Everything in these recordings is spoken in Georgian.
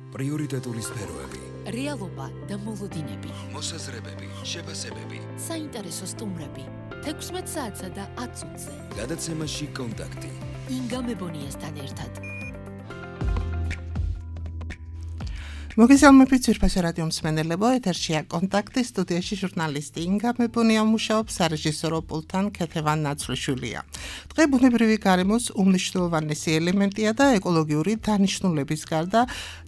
პრიორიტეტული სფეროები, რეალობა და მოლოდინები, მოსაზრებები, შეფასებები, საინტერესო სტუმრები, 16 საათსა და 10 წუთზე. გადაცემაში კონტაქტი. ინგა მებონიასთან ერთად. მოგესალმებით ძვირფასო რადიო მსმენელებო, ეთერშია კონტაქტი, სტუდიაში ჟურნალისტი ინგა მებონია მუშაობს, სარეჟისორო პულტთან ქეთევან ნაცვლიშვილია. დღე ბუნებრივი გარემოს უმნიშვნელოვანესი ელემენტია და ეკოლოგიური დანიშნულების გარდა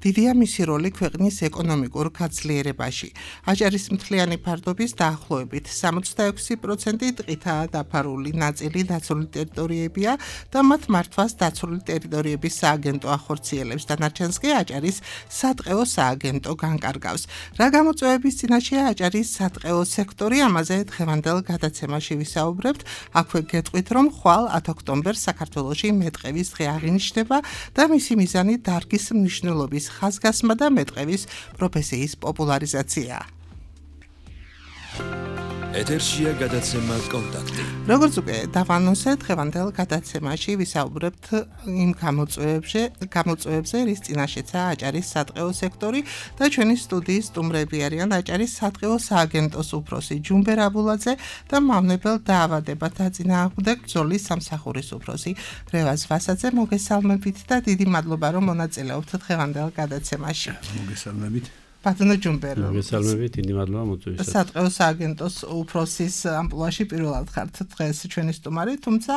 დიდია მისი როლი ქვეყნის ეკონომიკურ გაძლიერებაში. აჭარის მთლიანი ფარდობის დაახლოებით 66% ტყითაა დაფარული, ნაწილი დაცული ტერიტორიებია და მათ მართვას დაცული ტერიტორიების სააგენტო ახორციელებს, დანარჩენს კი აჭარის სატყეო სააგენტო განკარგავს. რა გამოწვევების წინაშეა აჭარის სატყეო სექტორი, ამაზე დღევანდელ გადაცემაში ვისაუბრებთ. აქვე გეტყვით, რომ ხვალ 10 ოქტომბერს საქართველოში მეტყევის დღე აღინიშნება და მისი მიზანი დარგის მნიშვნელობის ხაზგასმა და მეტყევის პროფესიის პოპულარიზაციაა. ეთერშია გადაცემა კონტაქტი. როგორც უკვე დავანონსე, დღევანდელ გადაცემაში ვისაუბრებთ იმ გამოწვევებზე, რის წინაშეცაა აჭარის სატყეო სექტორი და ჩვენი სტუდიის სტუმრები არიან აჭარის სატყეო სააგენტოს უფროსი ჯუმბერ აბულაძე და მავნებელ დაავადებათა დაწინააღმდეგ ბრძოლის სამსახურის უფროსი რევაზ ვასაძე. მოგესალმებით და დიდი მადლობა, რომ მონაწილეობთ დღევანდელ გადაცემაში. მოგესალმებით. ბატონო ჯუმბერო. მოგესალმებით, დიდი მადლობა მოწვევისთვის. სატყეო სააგენტოს უფროსის ამპლუაში პირველად ხართ დღეს ჩვენი სტუმარი, თუმცა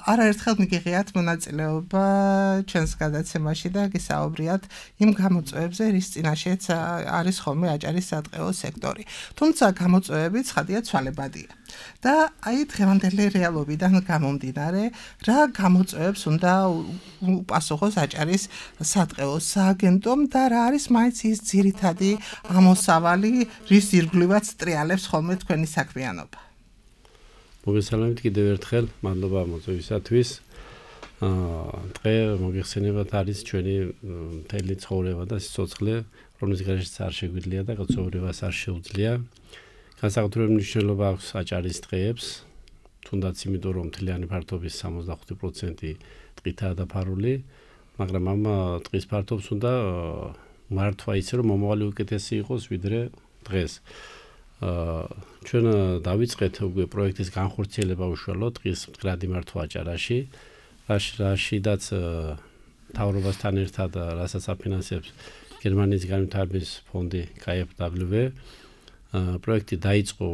არაერთხელ მიგიღიათ მონაწილეობა ჩვენს გადაცემაში და გისაუბრიათ იმ გამოწვევებზე, რის წინაშეც არის ხოლმე აჭარის სატყეო სექტორი. თუმცა გამოწვევები ცხადია ცვალებადია. და აი დღევანდელი რეალობიდან გამომდინარე, რა გამოწვევებს უნდა უპასუხოს აჭარის სატყეო სააგენტომ და რა არის მაინც ის ძირითადი ამოსავალი, რის ირგვლივაც ტრიალებს ხოლმე თქვენი საქმიანობა. მოგესალმებით კიდევ ერთხელ, მადლობა მოწვევისათვის. დღე მოგეხსენებათ არის ჩვენი მთელი ცხოვრება და სიცოცხლე, რომლის გარეშეც არ შეგვიძლია და გაცხოვრებას არ შეუძლია. განსაკუთრებული მნიშვნელობა აქვს აჭარის დღეებს, თუნდაც იმიტომ, რომ მთლიანი ფართობის 65% ტყითაა დაფარული, მაგრამ ამ ტყის ფართობს უნდა მართვა ისე, რომ მომავალი უკეთესი იყოს ვიდრე დღეს. ჩვენ დავიწყეთ უკვე პროექტის განხორციელება უშუალოდ ტყის მდგრადი მართვა აჭარაში, რაშიდაც მთავრობასთან ერთად, რასაც აფინანსებს გერმანიის განვითარების ფონდი KfW. პროექტი დაიწყო,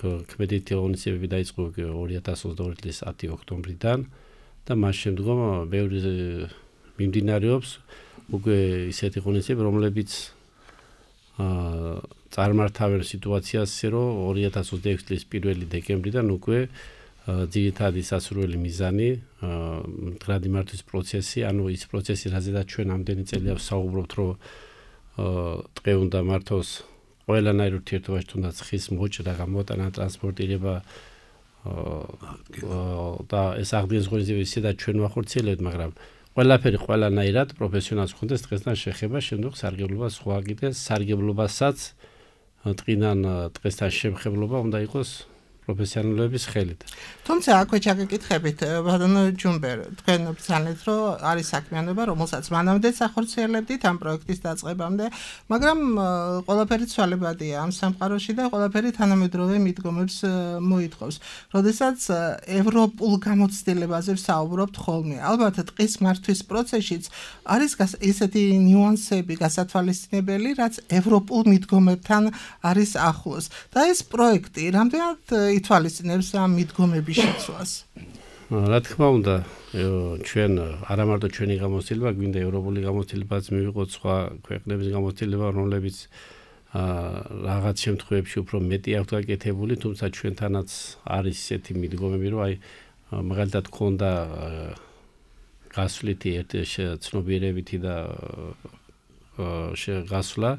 ქმედითი ღონისძიებები დაიწყო 2022 წლის 10 ოქტომბრიდან და მას შემდგომ ბევრი მიმდინარეობს უკვე ისეთი ღონისძიებები, რომლებიც წარმართავენ სიტუაციას, რომ 2026 წლის 1 დეკემბრიდან უკვე ძირითადი სასურველი მიზანი, მდგრადი მართვის პროცესი, ანუ ის პროცესი, რაზედაც ჩვენ ამდენი წელია ვსაუბრობთ, რომ ტყე უნდა მართოს ყველანაირ ურთიერთობაში, თუნდაც ხის მოჭრა, გამოტანა, ტრანსპორტირება და ეს აღდგენის ღონისძიებები ისედაც ჩვენ ვახორციელებთ, მაგრამ ყველაფერი ყველანაირად პროფესიონალს ხონდეს დღესთან შეხება, შემდგომ სარგებლობა სხვა კიდე სარგებლობასაც ტყიდან დღესთან შემხებლობა უნდა იყოს პროფესიონალების ხელით. თუმცა აქვე ჩაგეკითხებით, ბატონო ჯუმბერ, თქვენ ბრძანეთ, რომ არის საქმიანობა, რომელსაც მანამდეც ახორციელებდით ამ პროექტის დაწყებამდე, მაგრამ ყველაფერი ცვალებადია ამ სამყაროში და ყველაფერი თანამედროვე მიდგომებს მოითხოვს. როდესაც ევროპულ გამოცდილებაზე ვსაუბრობთ ხოლმე, ალბათ ტყის მართვის პროცესშიც არის ისეთი ნიუანსები გასათვალისწინებელი, რაც ევროპულ მიდგომებთან არის ახლოს. და ეს პროექტი რამდენად ითვალისწინებს ამ მიდგომების შეცვლას? რა თქმა უნდა, ჩვენ არა მარტო ჩვენი გამოცდილება, გვინდა ევროპული გამოცდილებაც მივიღოთ, სხვა ქვეყნების გამოცდილება, რომლებიც რაღაც შემთხვევებში უფრო მეტი აქვთ გაკეთებული, თუმცა ჩვენთანაც არის ისეთი მიდგომები, რომ აი მაგალითად ქონდა გასვლითი ცნობიერებითი და გასვლა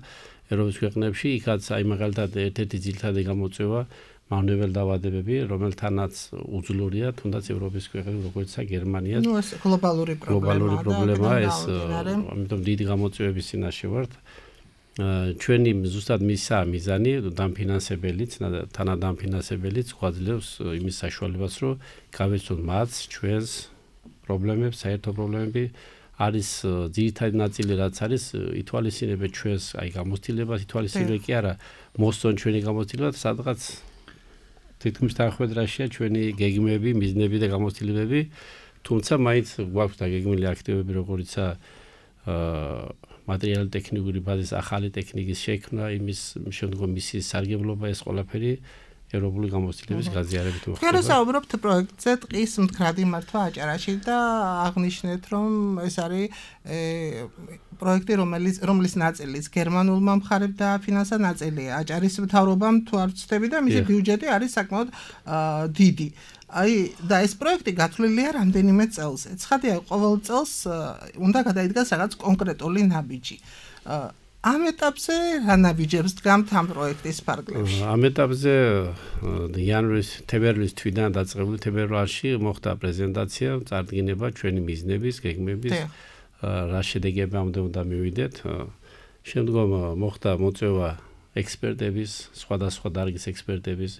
ევროპის ქვეყნებში, იქაც აი მაგალითად ერთ-ერთი ძირითადი გამოწვევა მავნებელ დაავადებები, რომელთანაც უძლურია თუნდაც ევროპის ქვეყნები, როგორიცაა გერმანია. ნუ ეს გლობალური პრობლემაა ეს, ამიტომ დიდი გამოწვევების წინაშე ვართ. ჩვენი ზუსტად მისაა მიზანი, დამფინანსებელიც, თანადამფინანსებელიც გვაძლევს იმის საშუალებას, რომ გავეცოთ მათ ჩვენს პრობლემებს, საერთო პრობლემები არის ძირითადი ნაწილი რაც არის ითვალისწინებთ ჩვენს აი გამოცდილებას ითვალისწინებთ კი არა მოსწონ ჩვენი გამოცდილება სადღაც თითქმის თანხმედრაშია ჩვენი გეგმები, მიზნები და გამოცდილებები თუმცა მაინც გვაქვს დაგეგმილი აქტივები როგორიცაა მატერიალური ტექნიკური ბაზის ახალი ტექნიკის შექმნა იმის შემდგომ მისის სარგებლობა ეს ყველაფერი ევროპული გამოცდილების გაზიარებით მოხდება. თქვენ საუბრობთ პროექტზე ტყის მდგრადი მართვა აჭარაში და აღნიშნეთ რომ ეს არის პროექტი რომლის ნაწილიც გერმანულმა მხარემ დააფინანსა ნაწილია აჭარის მთავრობამ თუ არ ვცდები და მისი ბიუჯეტი არის საკმაოდ დიდი. აი და ეს პროექტი გათვლილია რამდენიმე წელზე. ცხადია ყოველ წელს უნდა გადაიდგას რაღაც კონკრეტული ნაბიჯი. ამ ეტაპზე რა ნაბიჯებს დგამთ ამ პროექტის ფარგლებში? ამ ეტაპზე იანვრის თებერვლის თვიდან დაწყებული თებერვალში მოხდა პრეზენტაცია, წარდგინება ჩვენი მიზნების, გეგმების, რა შედეგებამდე უნდა მივიდეთ. შემდგომ მოხდა მოწვევა ექსპერტების, სხვადასხვა დარგის ექსპერტების,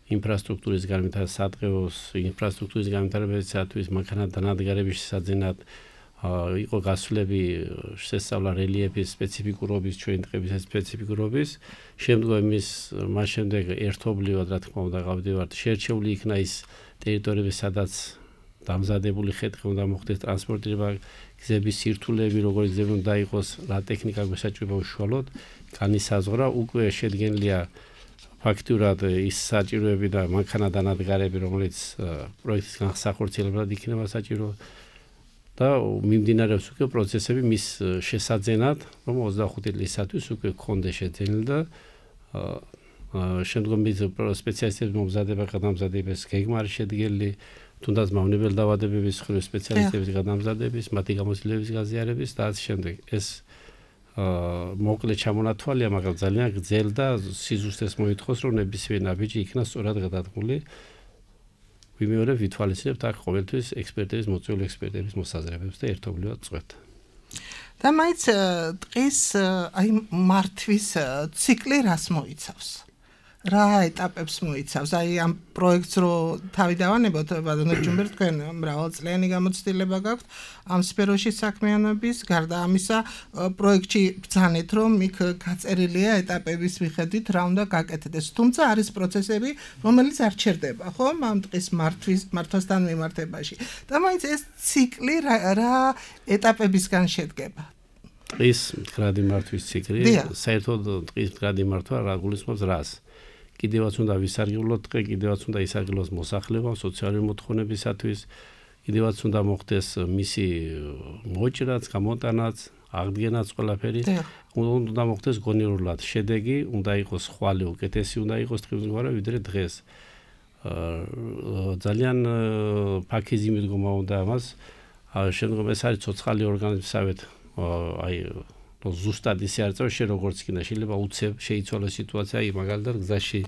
ინფრასტრუქტურის განვითარების, სადღეოს ინფრასტრუქტურის განვითარებისათვის, მანქანათდანადგარების შესაძენად იყო გასვლები შესწავლა რელიეფის სპეციფიკურობის, ჩვენი ტყების სპეციფიკურობის. შემდგომ მას შემდეგ ერთობლივად რა თქმა უნდა გავდივართ, შერჩეული იქნა ის ტერიტორიები, სადაც დამზადებული ხე-ტყე უნდა მოხდეს ტრანსპორტირება, გზების სირთულეები, როგორი გზები უნდა იყოს, რა ტექნიკა გვესაჭიროება უშუალოდ, განისაზღვრა, უკვე შედგენილია ფაქტურად ის საჭიროები და მანქანათდანადგარები, რომელიც პროექტის განსახორციელებლად იქნება საჭირო და მიმდინარეობს უკვე პროცესები მის შესაძენად, რომ 25 წლისათვის უკვე გქონდეს შეძენილი და შემდგომ მის სპეციალისტების მომზადება გადამზადების გეგმა არის შედგენილი, თუნდაც მავნებელ დაავადებების მხრივ სპეციალისტების გადამზადების, მათი გამოცდილების გაზიარების და ასე შემდეგ. ეს მოკლე ჩამონათვალია, მაგრამ ძალიან გრძელ და სიზუსტეს მოითხოვს, რომ ნებისმიერ ნაბიჯი იქნა სწორად გადადგმული. ვიმეორებ ვითვალისწინებთ აქ ყოველთვის ექსპერტების, მოწვეული ექსპერტების მოსაზრებებს და ერთობლივად წვეთ. და მაინც ტყის აი მართვის ციკლი რას მოიცავს? რა ეტაპებს მოიცავს? აი ამ პროექტს რო თავი დავანებოთ, ბატონო ჯუმბერ, თქვენ მრავალწლიანი გამოცდილება გაქვთ ამ სფეროში საქმიანობის, გარდა ამისა პროექტში ბრძანეთ, რომ იქ გაწერილია ეტაპების მიხედვით რა უნდა გაკეთდეს. თუმცა არის პროცესები, რომელიც არ ჩერდება, ხო, ამ ტყის მართვასთან მიმართებაში. და მაინც ეს ციკლი რა ეტაპებისგან შედგება? ტყის მდგრადი მართვის ციკლი, საერთოდ ტყის მდგრადი მართვა რა გულისხმობს რას? კიდევაც უნდა ვისარგებლოთ ტყე, კიდევაც უნდა ისარგებლოს მოსახლეობა სოციალური მოთხოვნებისათვის, კიდევაც უნდა მოხდეს მისი მოჭრაც, გამოტანაც, აღდგენაც ყველაფერი. უნდა მოხდეს გონივრულად შედეგი, უნდა იყოს ხვალე უკეთესი, უნდა იყოს ტყემსგავსება ვიდრე დღეს. ძალიან ფაქიზი მიდგომა უნდა ამას. შემდგომ ეს არის ცოცხალი ორგანიზმსავეთ, აი ზუსტად ისე არ წავა, როგორც იქნება, შეიძლება უცებ შეიცვალოს სიტუაცია, აი მაგალითად გზაში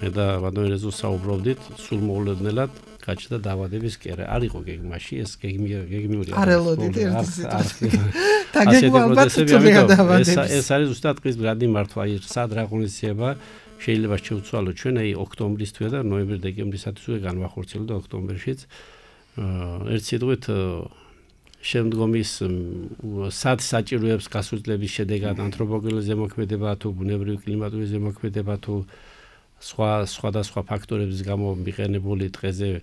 მე და ბატონერეზო საუბრობდით, სულ მოულოდნელად გაჩნდა დაავადების კერა. არ იყო გეგმაში, ეს გეგმიური არ ელოდით ერთი სიტუაცია. და გეგმა ალბათ თუმცა დაავადების. ეს არის ზუსტად ტყის მდგრადი მართვა, აი სად რა ღონისძიება შეიძლება შევცვალოთ ჩვენ, აი ოქტომბრის თვე და ნოემბერ-დეკემბრისათვის უკვე განვახორციელო და ოქტომბერშიც ერთ სიტყვით შემდგომის სად საჭიროებს გასულების შედეგად ანთროპოგენური ზემოქმედება თუ ბუნებრივი კლიმატური ზემოქმედება თუ სხვადასხვა ფაქტორების გამო მიყენებული ტყეზე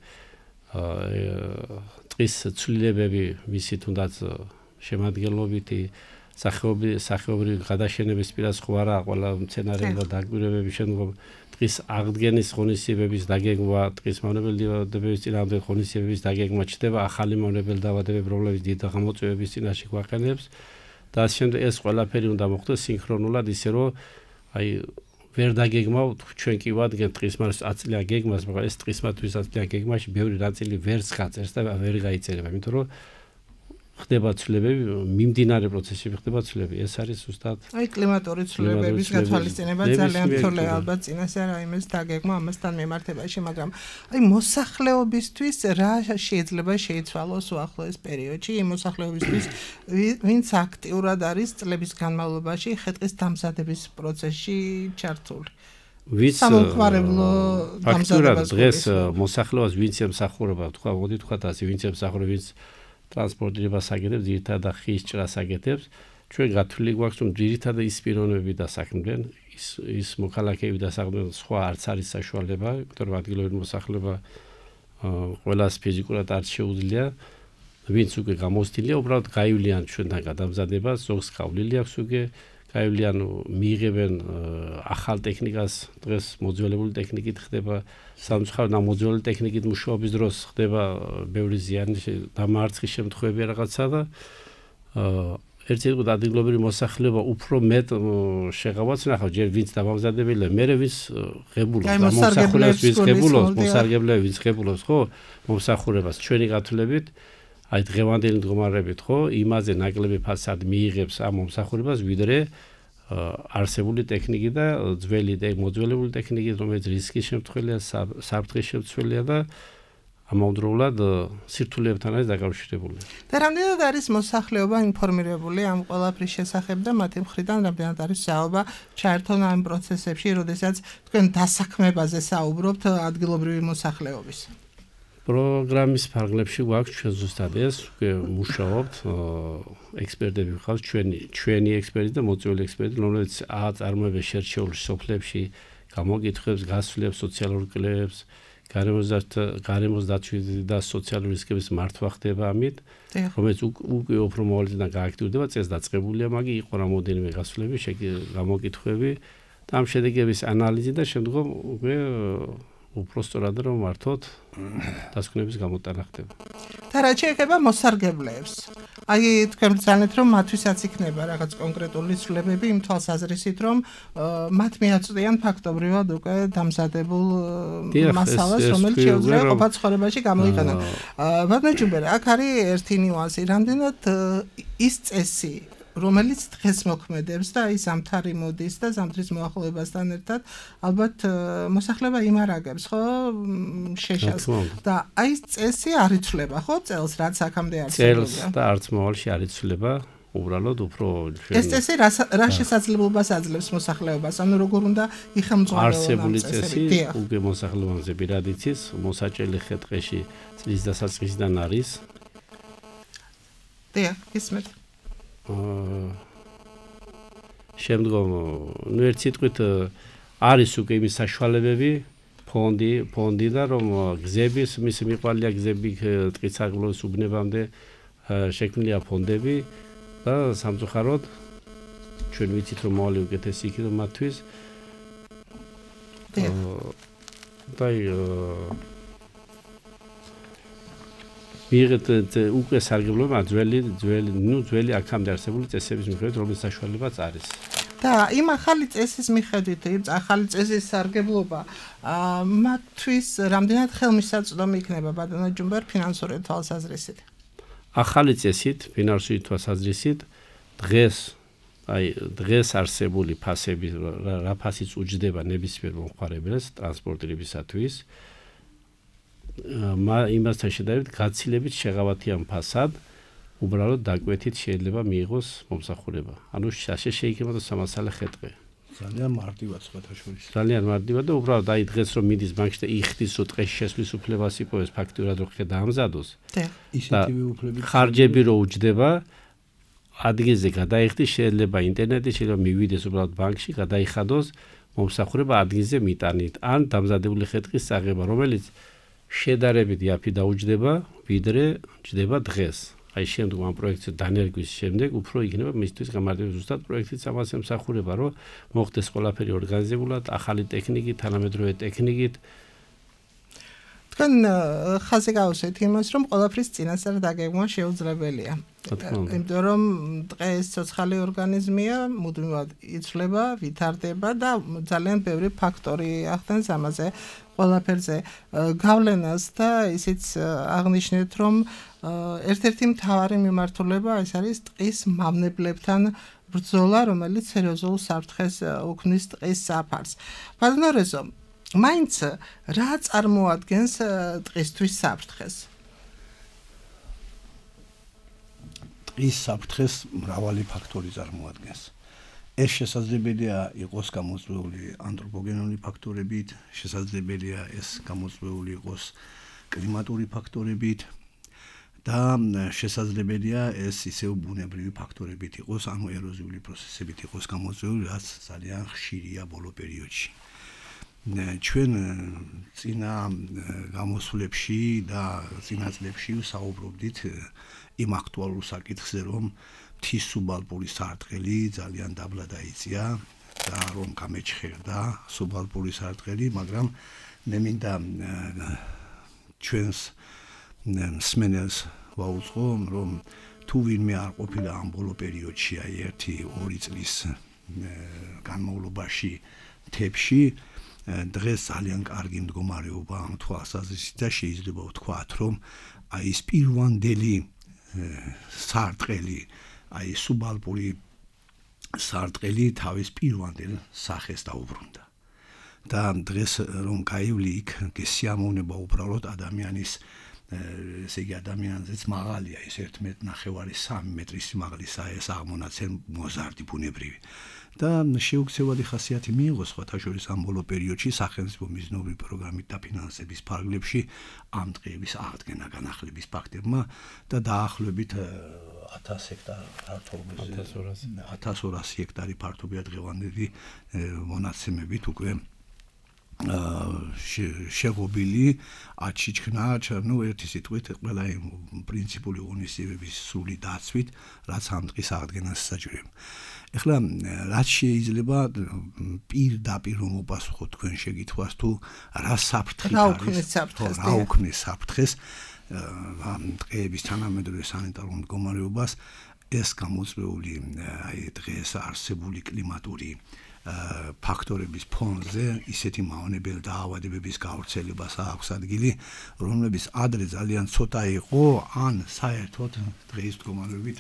ტყის ცვლილებები, მისი თუნდაც შემადგენლობითი სახეობრივი გადაშენების პირასხმარა, ყველა მცენარეულობა დაკვირვებების შემდგომ ტყის აღდგენის ღონისძიებების დაგეგმვა, ტყის მავნებელ დაავადებების წინააღმდეგ ღონისძიებების დაგეგმვა ჩდება, ახალი მავნებელ დაავადებების პრობლემის დიდი გამოწვევების წინაშე გვაყენებს და ასე შემდეგ ეს ყველაფერი უნდა მოხდეს სინქრონულად, ისე რომ აი ვერ დაგეგმავთ ჩვენ კი ვადგენთ ტყის მართვის 10 წლიან გეგმას, მაგრამ ეს ტყის მართვის 10 წლიან გეგმაში ბევრი ნაწილი ვერც გაწერს და ვერ გაიწერება, იმიტომ რომ ხდება ცვლილებები, მიმდინარე პროცესები ხდება ცვლილებები. ეს არის ზუსტად აი კლიმატური ცვლილებების გათვალისწინება ძალიან რთულია ალბათ წინასე რა იმის დაგეგმა ამასთან მიმართებაში, მაგრამ აი მოსახლეობისთვის რა შეიძლება შეიცვალოს უახლოეს პერიოდში, იმ მოსახლეობისთვის, ვინც აქტიურად არის წლების განმავლობაში ხე-ტყის დამზადების პროცესში ჩართული. ვინც სამომხმარებლო დამზადებას დღეს მოსახლეობას ვინც ემსახურება, თქვა, მოდი თქვა ასე, ვინც ემსახურება, ვინც ტრანსპორტირებას აკეთებს, ძირითადად ხის ჭრას აკეთებს. ჩვენ გათვლილი გვაქვს, რომ ძირითადად ის პიროვნებები დასაქმდნენ, ის მოქალაქეები დასაქმდნენ, სხვა არც არის საშუალება, იმიტომ რომ ადგილობრივი მოსახლეობა ყველას ფიზიკურად არ შეუძლია, ვინც უკვე გამოცდილია, უბრალოდ გაივლიან ჩვენთან გადამზადებას, ზოგს გავლილი აქვს უკვე, გაივლიან მიიღებენ ახალ ტექნიკას, დღეს მოძველებული ტექნიკით ხდება, სამწუხაროდ ამ მოძველებული ტექნიკით მუშაობის დროს ხდება ბევრი ზიანი, დამარცხის შემთხვევები რაღაცა და ერთ სიტყვით ადგილობრივი მოსახლეობა უფრო მეტ შეღავაც ნახავ, ჯერ ვინც დამამზადებელია, მერე ვინც ღებულობს, მომსახურებას ვინც ღებულობს, მოსარგებლეები ვინც ღებულობს, ხო, მომსახურებას ჩვენი გათვლებით, აი დღევანდელი მდგომარეობით, ხო, იმაზე ნაკლები ფასად მიიღებს ამ მომსახურებას, ვიდრე არსებული ტექნიკი და მოძველებული ტექნიკით, რომელიც რისკის შემთხვევია, საფრთხის შემცველია და ამავდროულად სირთულეებთან არის დაკავშირებული. და რამდენად არის მოსახლეობა ინფორმირებული ამ ყველაფრის შესახებ და მათი მხრიდან რამდენად არის საუბარ ჩაერთონ ამ პროცესებში, როდესაც თქვენ დასაქმებაზე საუბრობთ ადგილობრივი მოსახლეობის. პროგრამის ფარგლებში გვაქვს ჩვენ ზუსტად ეს, უკვე მუშაობთ, ექსპერტები ვიყავთ, ჩვენი ექსპერტი და მოწვეული ექსპერტი, რომლებიც აწარმოებენ შერჩეულ სოფლებში, გამოკითხვებს, გასვლებს, სოციალურ კლუბებს, გარემოს დაცვის და სოციალური რისკების მართვა ხდება ამით, რომელიც უკვე უფრო მოვალეწინებად გააქტიურდება, წეს დაწყებულია, მაგრამ იყო რამოდენიმე გასვლები, გამოკითხვები და ამ შედეგების ანალიზი და შემდგომ უკვე უფრო სწორად რომ მართოთ დასკვნების გამოტანა ხდება. და რა შეეხება მოსარგებლეებს. აი თქვენ ბრძანეთ რომ მათვისაც იქნება რაღაც კონკრეტული ცვლილებები იმ თვალსაზრისით რომ მათ მიაწვდიან ფაქტობრივად უკვე დამზადებულ მასალას, რომელიც შეუძლია ყოფა ცხოვრებაში გამოიყენონ. ბატონო ჯუმბერა, აქ არის ერთი ნიუანსი, რამდენად ის წესი რომელიც დღეს მოქმედებს და ის ზამთარი მოდის და ზამთრის მოახლოებასთან ერთად ალბათ მოსახლეობა იმარაგებს, ხო, შეშას და აი ეს წესი არ იცვლება, ხო, წელს რაც აქამდე არსებობდა. წელს და არც მოვალში არ იცვლება, უბრალოდ უფრო ეს წესი რა შესაძლებლობას აძლევს მოსახლეობას, ანუ როგორ უნდა იხელმძღვანელონ არსებული წესი უკვე მოსახლეობაზე პირად იცის, მოსაჭრელი ხე-ტყეში წლის დასაწყისიდან არის. დიახ, ისმეთ. შემდგომ ერთ სიტყვით არის უკვე იმის საშუალებები ფონდი და რომ გზების მისი მიყვალია გზები ტყისაღლოს უბნებამდე შექმნილია ფონდები და სამწუხაროდ ჩვენ ვიცით რომ მოვალი უკეთესი იქნება მათთვის და მიიღეთ უკვე სარგებლობა ძველი აქამდე არსებული წესების მიხედვით, რომლის საშუალებაც არის. და იმ ახალი წესის მიხედვით, ახალი წესის სარგებლობა მათთვის რამდენად ხელმისაწვდომი იქნება ბატონო ჯუმბერ ფინანსური თვალსაზრისით? ახალი წესით, ფინანსური თვალსაზრისით დღეს არსებული ფასები, რა ფასიც უჯდება ნებისმიერ მომხმარებელს ტრანსპორტირებისათვის იმასთან შედარებით გაცილებით შეღავათიან ფასად უბრალოდ დაკვეთით შეიძლება მიიღოს მომსახურება. ანუ შაშე შეიქმნა სამასალე ხე-ტყე. ძალიან მარტივად სხვათა შორის. ძალიან მარტივად და უბრალოდ აი დღეს რომ მიდის ბანკში და იხდის რომ ტყეში შესვლის უფლებას იპოვეს ფაქტურად რომ ხე დაამზადოს. ისეთივე უფლები ხარჯები რო უჯდება ადგილზე გადაიხდის შეიძლება ინტერნეტით შეიძლება მივიდეს უბრალოდ ბანკში გადაიხადოს მომსახურება ადგილზე მიტანით ან დამზადებული ხე-ტყის წაღება რომელიც შედარებით იაფი დაუჯდება ვიდრე ჯდება დღეს. აი შემდგომ ამ პროექტის დანერგვის შემდეგ უფრო იქნება მისთვის გამარტივებული ზუსტად პროექტის ამას ემსახურება რომ მოხდეს ყველაფერი ორგანიზებულად ახალი ტექნიკით თანამედროვე ტექნიკით თქვენ ხაზი გავუსვით იმას რომ ყველაფრის წინასწარ დაგეგმვა შეუძლებელია. იმიტომ რომ დღეს ცოცხალი ორგანიზმია მუდმივად იცვლება, ვითარდება და ძალიან ბევრი ფაქტორი ახდენს ამაზე ყველაფერზე გავლენას და ისიც აღნიშნეთ რომ ერთ-ერთი მთავარი მიმართულება ეს არის ტყის მავნებლებთან ბრძოლა, რომელიც სერიოზულ საფრთხეს უქმნის ტყის საფარს. ბატონო რეზო, მაინც რა წარმოადგენს ტყისთვის საფრთხეს? ტყის საფრთხეს მრავალი ფაქტორი წარმოადგენს. ეს შესაძლებელია იყოს გამოწვეული ანთროპოგენური ფაქტორებით, შესაძლებელია ეს გამოწვეული იყოს კლიმატური ფაქტორებით და შესაძლებელია ეს ისევ ბუნებრივი ფაქტორებით იყოს, ანუ ეროზიული პროცესებით იყოს გამოწვეული, რაც ძალიან ხშირია ბოლო პერიოდში. ჩვენ წინა გამოსვლებში და წინა წლებში საუბრობდით იმ აქტუალურ საკითხზე, რომ მთის სუბალპური სარტყელი ძალიან დაბლა დაიწია და რომ გამეჩხერდა სუბალპური სარტყელი, მაგრამ მე მინდა ჩვენს მსმენელს ვაუწყო, რომ თუ ვინმე არ ყოფილა ამ ბოლო პერიოდში, აი 1-2 წლის განმავლობაში მთებში, დღეს ძალიან კარგი მდგომარეობა ამ თვალსაზრისით და შეიძლება ვთქვათ, რომ აი ეს პირვანდელი სარტყელი, აი სუბალპური სარტყელი თავის პირვანდელ სახეს დაუბრუნდა. და დღეს რომ გაივლი იქ, გესიამოვნება უბრალოდ ადამიანის ესე იგი ადამიანზეც მაღალია, ის 1.5-3 მეტრის სიმაღლისაა ეს აღმონაცენ მოზარდი ბუნებრივი. და შეუქცევადი ხასიათი მიიღო სხვათა შორის ამ ბოლო პერიოდში სახელმწიფო მიზნობრივი პროგრამით დაფინანსების ფარგლებში ამ ტყეების აღდგენა განახლების ფაქტებმა და დაახლოებით 1000 ჰექტარ ფართობზე 1200 ჰექტარი ფართობია დღევანდელი მონაცემებით უკვე შეღობილი აჩიჩქნა, ну ერთი სიტყვით ყველა იმ პრინციპული ღონისძიებების სრული დაცვით, რაც ამ ტყის აღდგენას საჭიროება. ეხლა რაც შეიძლება პირდაპირ რომ უპასუხოთ თქვენ შეკითხვას, თუ რა საფრთხე არის, რა უქმნის საფრთხეს ამ ტყეების თანამედროვე სანიტარულ მდგომარეობას, ეს გამოწვეული აი დღეს არსებული კლიმატური ფაქტორების ფონზე ისეთი მავნებელი დაავადებების გავრცელებას აქვს ადგილი, რომლებიც ადრე ძალიან ცოტა იყო, ან საერთოდ დღეს მდგომარეობით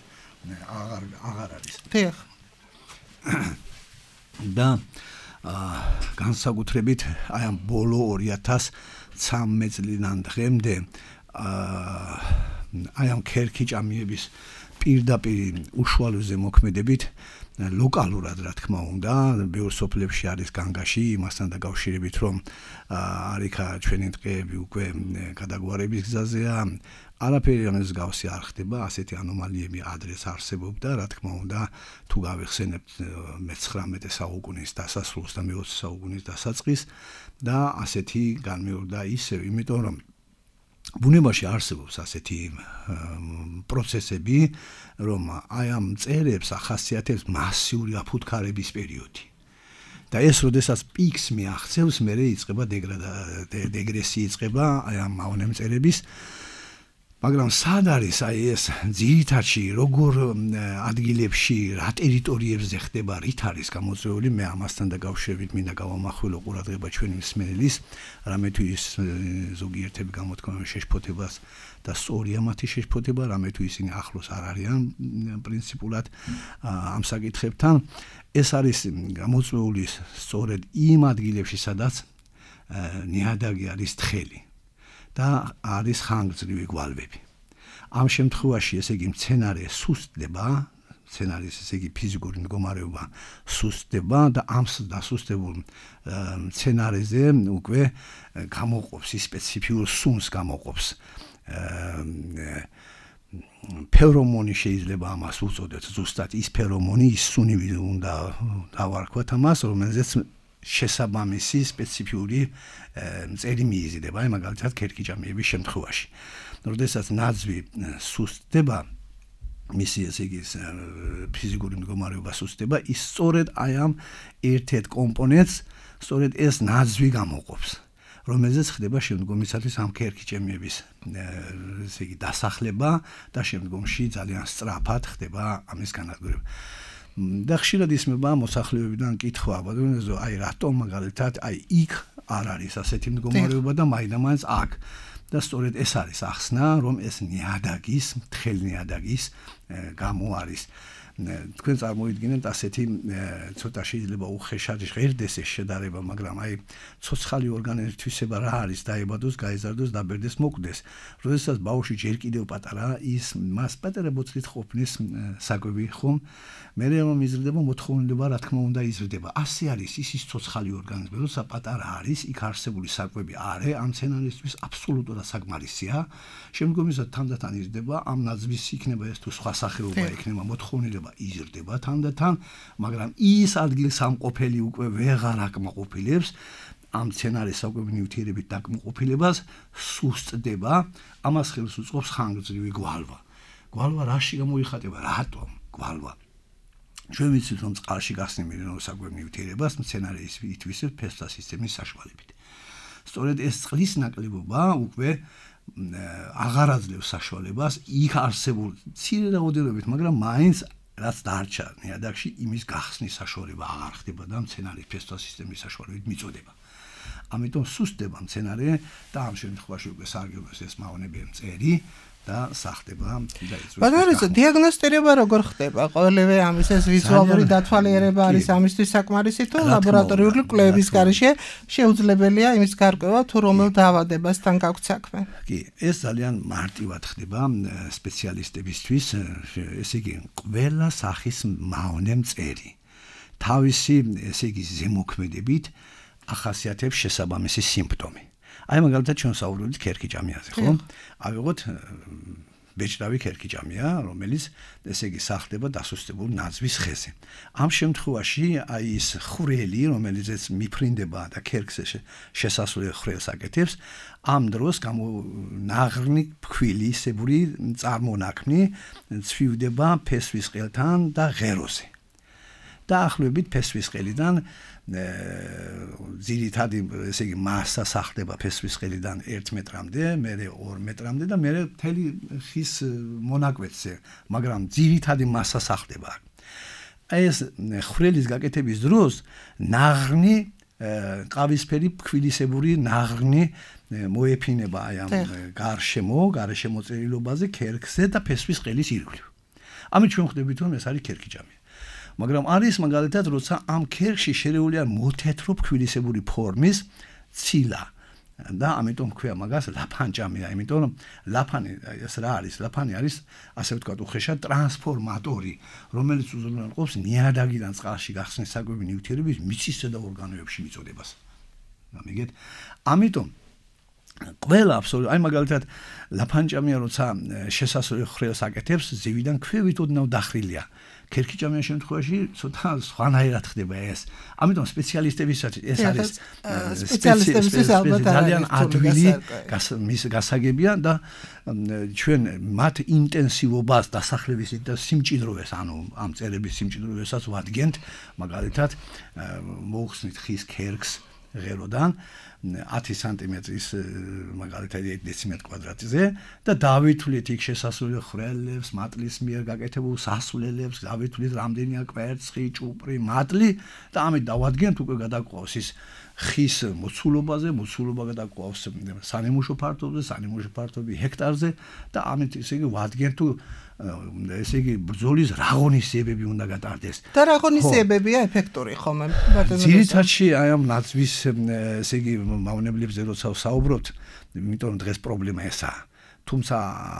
აღარ არის. დიახ. და განსაკუთრებით აი ამ ბოლო 2013 წლიდან დღემდე აი ამ ქერქიჭამიების პირდაპირ უშუალოზე მოქმედებით ლოკალურად რა თქმა უნდა, ბევრ სოფლებში არის განგაში იმასთან დაკავშირებით, რომ არიქა ჩვენი ტყეები უკვე გადაგვარების გზაზეა, არაფერი ამის მსგავსი არ ხდება, ასეთი ანომალიები ადრეს არსებობდა, რა თქმა უნდა, თუ გავიხსენებთ მე-19 საუკუნის დასასრულს და მე-20 საუკუნის დასაწყისს და ასეთი განმეორდა ისევ, იმიტომ რომ ბუნებაში არსებობს ასეთი პროცესები, რომ აი ამ მწერებს ახასიათებს მასიური აფუთხარების პერიოდი. და ეს როდესაც პიკს მიაღწევს, მერე იწყება დეგრესია იწყება აი ამ მავნემწერების. მაგრამ სად არის აი ეს ძირითადში როგორ ადგილებში, რა ტერიტორიებზე ხდება, რით არის გამოწვეული, მე ამასთან დაკავშირებით მინდა გავამახვილო ყურადღება ჩვენი მსმენელის, რამე თუ ის ზოგიერთები გამოთქვამენ შეშფოთებას და სწორია მათი შეშფოთება, რამე თუ ისინი ახლოს არ არიან პრინციპულად ამ საკითხებთან, ეს არის გამოწვეული სწორედ იმ ადგილებში, სადაც ნიადაგი არის თხელი და არის ხანგრძლივი გვალვები. ამ შემთხვევაში ესე იგი მცენარე სუსტდება, მცენარის ესე იგი ფიზიკური მდგომარეობა სუსტდება და ამ დასუსტებულ მცენარეზე უკვე გამოყოფს ის სპეციფიურ სუნს გამოყოფს. ფერომონი შეიძლება ამას უწოდეთ, ზუსტად ის ფერომონი, ის სუნი უნდა დავარქვათ ამას, რომელზეც შესაბამისი სპეციფიური მწერი მიიზიდება, აი მაგალითად ქერქიჭამიების შემთხვევაში. როდესაც ნაძვი სუსტდება, მისი ესე იგი ფიზიკური მდგომარეობა სუსტდება, ის სწორედ აი ამ ერთ-ერთ კომპონენტს, სწორედ ეს ნაძვი გამოყოფს, რომელზეც ხდება შემდგომისათვის ამ ქერქიჭამიების ესე იგი დასახლება და შემდგომში ძალიან სწრაფად ხდება ამის განადგურება. და ხშირად ისმება მოსახლეობიდან კითხვა, ბატონო, აი რატომ მაგალითად აი იქ არ არის ასეთი მდგომარეობა და მაინც აქ. და სწორედ ეს არის ახსნა, რომ ეს ნიადაგის, თხელ ნიადაგის გამო არის. თქვენ წარმოიდგინეთ ასეთი ცოტა შეიძლება უხეშად ღერდეს ეს შედარება, მაგრამ აი ცოცხალი ორგანიზმის თვისება რა არის, დაიბადოს, გაიზარდოს, დაბერდეს, მოკვდეს. როდესაც ბავშვი ჯერ კიდევ პატარაა, ის მას პატარა ბოთლით ყოფნის საკვები ხომ, მერე რომ იზრდება მოთხოვნილება, რა თქმა უნდა იზრდება. ასე არის ის ცოცხალი ორგანიზმი, როცა პატარა არის, იქ არსებული საკვები არე ამ სცენარისთვის აბსოლუტურად საკმარისია. შემდგომისად თანდათან იზრდება, ამ ნაძვის იქნება ეს თუ სხვა სახეობა იქნება, მოთხოვნილება იზრდება თანდათან, მაგრამ ის ადგილსამყოფელი უკვე ვეღარ აკმაყოფილებს ამ სცენარის საკვები ნივთიერებით დაკმაყოფილებას, სუსტდება, ამას ხელს უწყობს ხანგრძლივი გვალვა. გვალვა რაში გამოიხატება, რატომ გვალვა? ჩვენ ვიცით რომ წყალში გახსნილ საკვებ ნივთიერებას სცენარის ითვისებს ფესვთა სისტემის საშუალებით. სწორედ ეს წყლის ნაკლებობა უკვე აღარ აძლევს საშუალებას იქ არსებულ მცირე რაოდენობით, მაგრამ მაინც რაც დარჩა ნიადაგში იმის გახსნის საშუალება აღარ ხდება და სცენარის ფესვთა სისტემის საშუალებით მიწოდება. ამიტომ სუსტდება სცენარი და ამ შემთხვევაში უკვე სარგებლობს ეს მავნებიანი მწერი და სახდება და იწვევს. ბატონო, დიაგნოსტირება როგორ ხდება? ყოველივე ამის ეს ვიზუალური დათვალიერება არის ამისთვის საკმარისი თუ ლაბორატორიული კვლევების გარეშე შეუძლებელია იმის გარკვევა თუ რომელ დაავადებასთან გაქვთ საქმე? კი, ეს ძალიან მარტივად ხდება სპეციალისტებისთვის, ესე იგი, ყველა სახის მავნე მწერი თავისი, ესე იგი, ზემოქმედებით ახასიათებს შესაბამისი სიმპტომი. აი მაგალითად ჩვენ საუბრობთ ქერქიჭამიაზე, ხო? ავიღოთ ბეჭდავი ქერქიჭამია, რომელიც ესე იგი სახდება დასუსტებულ ნაძვის ხეზე. ამ შემთხვევაში აი ის ხვრელი, რომელიც მიფრინდება და ქერქზე შესასვლელ ხვრელს აკეთებს, ამ დროს ნაღრნი ფქვილისებური წარმონაქმნი ცვივდება ფესვის ყელთან და ღეროზე. დაახლოებით ფესვის ყელიდან ძირითადი ესე იგი მასა სახდება ფესვის ყელიდან 1 მეტრამდე, მერე 2 მეტრამდე და მერე მთელი ხის მონაკვეთზე, მაგრამ ძირითადი მასა სახდება. ეს ხვრელის გაკეთების დროს ნაღრნი ყავისფერი ფქვილისებური ნაღრნი მოეფინება აი ამ გარშემო წერილობაზე ქერქზე და ფესვის ყელის ირგვლივ. ამით ჩვენ ხვდებით რომ ეს არის ქერქიჭამი. მაგრამ არის მაგალითად როცა ამ ქერქში შერეულია მოთეთრო ფქვილისებური ფორმის ცილა და ამიტომ ქვია მაგას ლაფანჭამია, იმიტომ რომ ლაფანი ეს რა არის? ლაფანი არის ასე ვთქვათ უხეშად ტრანსფორმატორი, რომელიც უზრუნველყოფს ნიადაგიდან წყალში გახსნის საკვები ნივთიერების მიწისზედა და ორგანოებში მიწოდებას. გამიგეთ? ამიტომ ყველა აბსოლუტურად აი მაგალითად ლაფანჭამია როცა შესასვლელ ხვრელს აკეთებს, ზევიდან ქვევით ოდნავ დახრილია. ქერქიჭამის შემთხვევაში ცოტა სხვანაირად ხდება ეს. ამიტომ სპეციალისტებისაც ეს არის სპეციალისტებისთვის ალბათ ძალიან ადვილი გასაგებია და ჩვენ მათ ინტენსივობას დასახლების და სიმჭიდროვეს, ანუ ამ წერების სიმჭიდროვესაც ვადგენთ, მაგალითად მოუხსნით ხის ქერქს ღეროდან 10 სანტიმეტრის მაგალითად 1 დეციმეტრ კვადრატზე და დავითვლით იქ შესასვლელ ხვრელებს, მატლის მიერ გაკეთებულ სასვლელებს, დავითვლით რამდენია კვერცხი, ჭუპრი, მატლი და ამით დავადგენთ უკვე გადაგვყავს ის ხის მოცულობაზე, მოცულობა გადაგვყავს სანიმუშო ფართობზე, სანიმუშო ფართობი ჰექტარზე და ამით ესე იგი ვადგენთ თუ ესე იგი ბრძოლის რა ღონისძიებები უნდა გატარდეს. და რა ღონისძიებებია ეფექტური ხომ? ძირითადში აი ამ ნაძვის ესე იგი მავნებლებზე როცა ვსაუბრობთ, იმიტომ რომ დღეს პრობლემა ესაა. თუმცა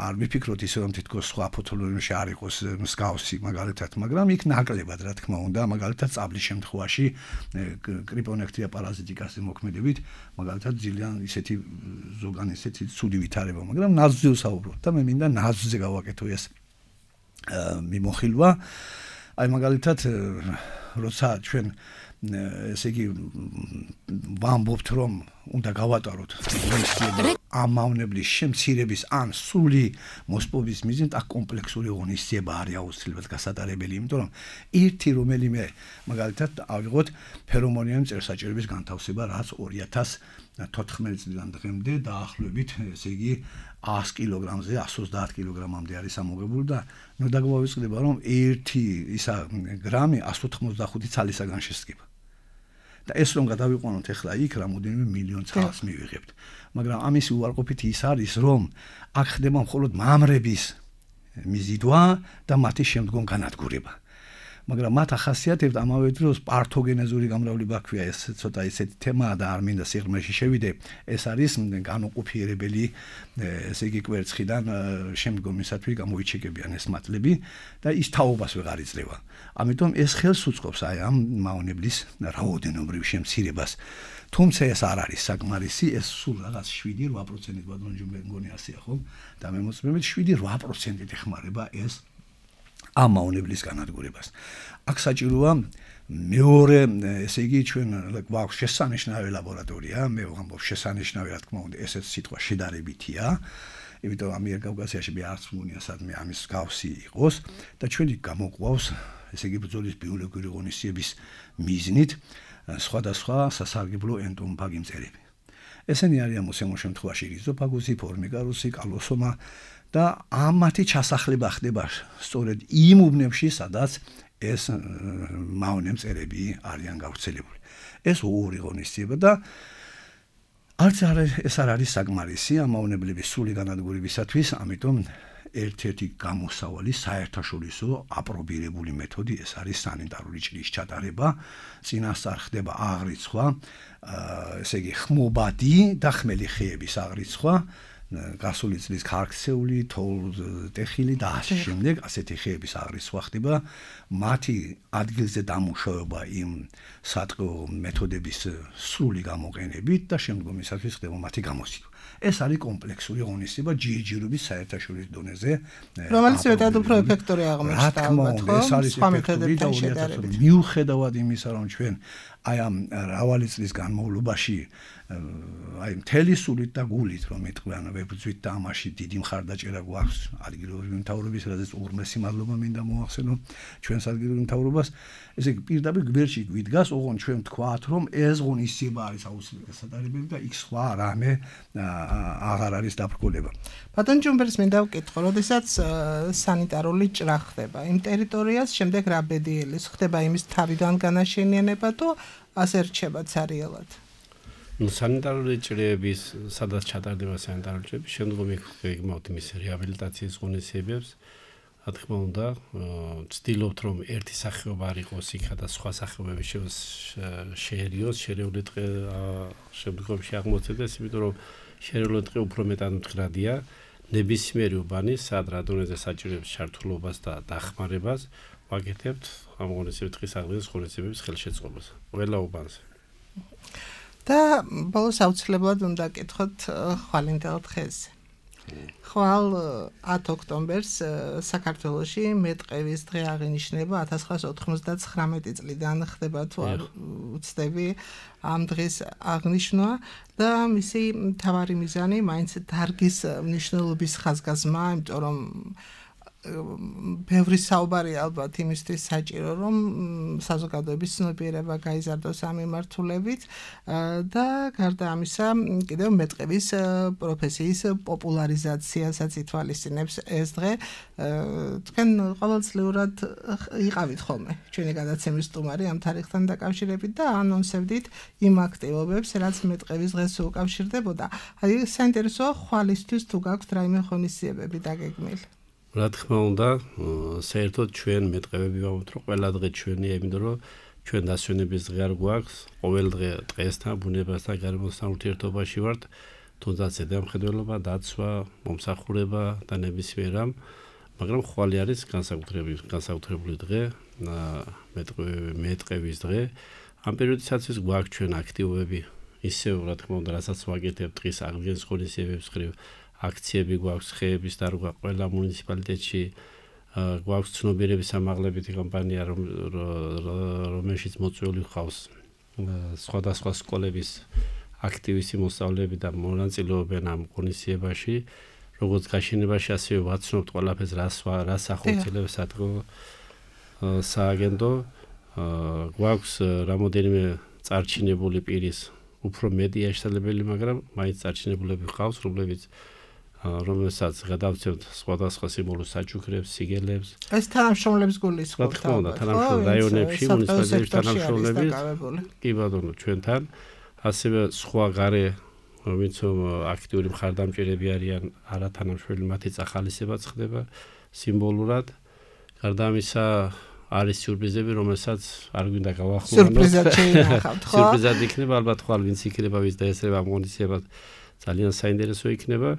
არ ვიფიქროთ ისე რომ თითქოს სხვა ფოთოლოგიაში არ იყოს მსგავსი მაგალითად, მაგრამ იქ ნაკლებად რა თქმა უნდა, მაგალითად წაბლის შემთხვევაში კრიპონექტია პარაზიტიკაზე მოქმედებით, მაგალითად ძალიან ისეთი ზოგან ისეთი ცუდი ვითარება, მაგრამ ნაძვზე ვსაუბრობთ და მე მინდა ნაძვზე გავაკეთო ეს მიმოხილვა. აი მაგალითად როცა ჩვენ ესე იგი ვამბობთ რომ უნდა გავატაროთ ამ მავნებლის შემცირების ან სრული მოსპობის მიზნით აქ კომპლექსური ღონისძიება არის აუცილებლად გასატარებელი, იმიტომ რომ ერთი რომელიმე მაგალითად ავიღოთ ფერომონიანი მწერსაჭირების განთავსება, რაც 2014 წლიდან დღემდე დაახლოებით ესე იგი 100 კილოგრამზე 130 კილოგრამამდე არის ამოღებული და ნუ დაგვავიწყდება რომ ერთი ისა გრამი 185 ცალისაგან შესდგება. და ეს რომ გადავიყვანოთ ახლა იქ რამოდენიმე მილიონ ცალს მივიღებთ. მაგრამ ამის უარყოფითი ის არის რომ აქ ხდება მხოლოდ მამრების მიზიდვა და მათი შემდგომ განადგურება. მაგრამ მათ ახასიათებთ ამავე დროს პართოგენეზური გამრავლება ქვია, ეს ცოტა ისეთი თემაა და არ მინდა სიღრმეში შევიდე. ეს არის განუყოფიერებელი, ესე იგი კვერცხიდან შემდგომისათვის გამოიჩეკებიან ეს მატლები და ის თაობას ვეღარ იძლევა. ამიტომ ეს ხელს უწყობს აი ამ მავნებლის რაოდენობრივ შემცირებას. თუმცა ეს არ არის საკმარისი, ეს სულ რაღაც 7-8%-ით ბატონჯუმბე მგონი ასეა ხო? და მე მოწმებით 7-8%-ით ეხმარება ეს ამ მავნებლის განადგურებას. აქ საჭიროა მეორე, ესე იგი ჩვენ გვაქვს შესანიშნავი ლაბორატორია, მე ვამბობ შესანიშნავი, რა თქმა უნდა, ესეც სიტყვა შედარებითია. იმიტომ ამიერკავკასიაში მე არც მგონია სადმე ამის გავსი იყოს და ჩვენი გამოყვავს, ესე იგი ბრძოლის ბიოლოგიური ღონისძიების მიზნით სხვადასხვა სასარგებლო ენტომფაგი მწერები. ესენი არიან მოსემო შემთხვევაში რიზოფაგუსი, ფორმიკარუსი, კალოსომა და ამათი ჩასახლება ხდება სწორედ იმ უბნებში, სადაც ეს მავნე მწერები არიან გავრცელებული. ეს ორი ღონისძიება და არც ეს არ არის საკმარისი ამ მავნებლების სრული განადგურებისათვის, ამიტომ ერთ-ერთი გამოსავალი საერთაშორისო აპრობირებული მეთოდი ეს არის სანიტარული ჭრის ჩატარება, წინასწარ ხდება აღრიცხვა, ესე იგი ხმობადი და ხმელი ხეების აღრიცხვა, გასული წლის ქარქცეული, თოლტეხილი და ასე შემდეგ, ასეთი ხეების აღრიცხვა ხდება, მათი ადგილზე დამუშავება იმ სატყეო მეთოდების სრული გამოყენებით და შემდგომისათვის ხდება მათი გამოსცემა. ეს არის კომპლექსური ღონისძიება ჯერჯერობით საერთაშორისო დონეზე, რომელიც მეტად უფრო ეფექტური აღმოჩნდა, ალბათ ხო? ეს არის ეფექტური და მიუხედავად იმისა, რომ ჩვენ აი ამ მრავალი წლის განმავლობაში აი მთელი სულით და გულით რომ ეთქვიან ვებრძვით და ამაში დიდი მხარდაჭერა გვაქვს ადგილობრივი მთავრობის, რადგან უღრმესი მადლობა მინდა მოახსენო ჩვენს ადგილობრივ მთავრობას. ესე იგი პირდაპირ გვერდში გვიდგას, ოღონდ ჩვენ ვთქვათ, რომ ეს ღონისძიება არის აუცილებელი სათარგმნელი და იქ სხვა რამე აღარ არის დაბრკოლება. ბატონ ჯუმბერს მინდა ვკითხო, როდესაც სანიტარული ჭრა ხდება იმ ტერიტორიას, შემდეგ რა ბედიელის ხდება იმის თავიდან განაშენიანება თუ ასე რჩება ცარიელად? სანიტარული ჭრიების, სადაც ჩატარდება სანიტარული ჭრიები, შემდგომ იგმავთ იმის რეაბილიტაციის ღონისძიებებს. რა თქმა უნდა, ვცდილობთ რომ ერთი სახეობა არ იყოს იქა და სხვა სახეობები შეერიოს, შერეული დღე შემდგომში აღმოცენდეს, იმიტომ რომ შერეული დღე უფრო მეტად მდგრადია, ნებისმიერი უბანი, სად რა დონეზე საჭიროებს ჩართულობას და დახმარებას, ვაკეთებთ ამ ღონისძიების დღის აღდგენის ღონისძიებების ხელშეწყობას ყველა უბანზე. და ბოლოს აუცილებლად უნდა კითხოთ ხვალინდელ დღეზე. ხვალ 10 ოქტომბერს საქართველოში მეტყევის დღე აღინიშნება 1999 წლიდან ხდება თუ არ ვცდები ამ დღის აღნიშვნა და მისი მთავარი მიზანი მაინც დარგის მნიშვნელობის ხაზგასმა, იმიტომ რომ ბევრი საუბარია ალბათ იმისთვის საჭირო რომ საზოგადოების ცნობიერება გაიზარდოს ამ მიმართულებით და გარდა ამისა კიდევ მეტყევის პროფესიის პოპულარიზაციასაც ითვალისწინებს ეს დღე. თქვენ ყოველწლიურად იყავით ხოლმე ჩვენი გადაცემის სტუმარი ამ თარიღთან დაკავშირებით და ანონსებდით იმ აქტივობებს, რაც მეტყევის დღეს უკავშირდებოდა. აი საინტერესოა ხვალისთვის თუ გაქვთ რაიმე ღონისძიებები დაგეგმილი? რა თქმა უნდა, საერთოდ ჩვენ მეტყევები ვამბობთ, რომ ყველა დღე ჩვენია, იმიტომ რომ ჩვენ დასვენების დღე არ გვაქვს, ყოველ დღე დღესთან, ბუნებასთან, გარემოსთან ურთიერთობაში ვართ, თუნდაც ზედამხედველობა, დაცვა, მომსახურება და ნებისმიერ რამ, მაგრამ ხვალე არის განსაკუთრებული დღე, მეტყევის დღე. ამ პერიოდისათვის გვაქვს ჩვენ აქტივობები, ისევ რა თქმა უნდა, რასაც ვაკეთებთ დღის აღდგენის ღონისძიებების მხრივ. აქციები გვაქვს ხეების დარგვა ყველა მუნიციპალიტეტში, გვაქვს ცნობიერების ამაღლებითი კამპანია, რომელშიც მოწვეული ხავს სხვადასხვა სკოლების აქტივისტი მოსწავლეები და მონაწილეობენ ამ ღონისძიებაში, როგორც გაშენებაში, ასევე ვაცნობთ ყველაფერს, რას ახორციელებს სააგენტო. გვაქვს რამოდენიმე წარჩინებული პირის უფრო მეტია შესაძლებელი, მაგრამ მაინც წარჩინებულები ხავს, რომელსაც გადავცემთ სხვადასხვა სიმბოლოს საჩუქრებს, სიგელებს. ეს თანამშრომლებს გულისხმობთ. რა თქმა უნდა, თანამშრომლები რაიონებში, მუნიციპალიტეტებში თანამშრომლები კი ბატონო, ჩვენთან, ასევე სხვა გარე, ვინც აქტიური მხარდამჭერები არიან, არათანამშრომლები, მათი წახალისებაც ხდება სიმბოლურად. გარდა ამისა, არის სიურპრიზები, რომელსაც არ გვინდა გავახმოვანოთ. სიურპრიზად შეინახავთ, ხო? სიურპრიზად იქნება, ალბათ ხვალ ვინც იქნება, ვის დაესწრება ამ ღონისძიებად, ძალიან საინტერესო იქნება.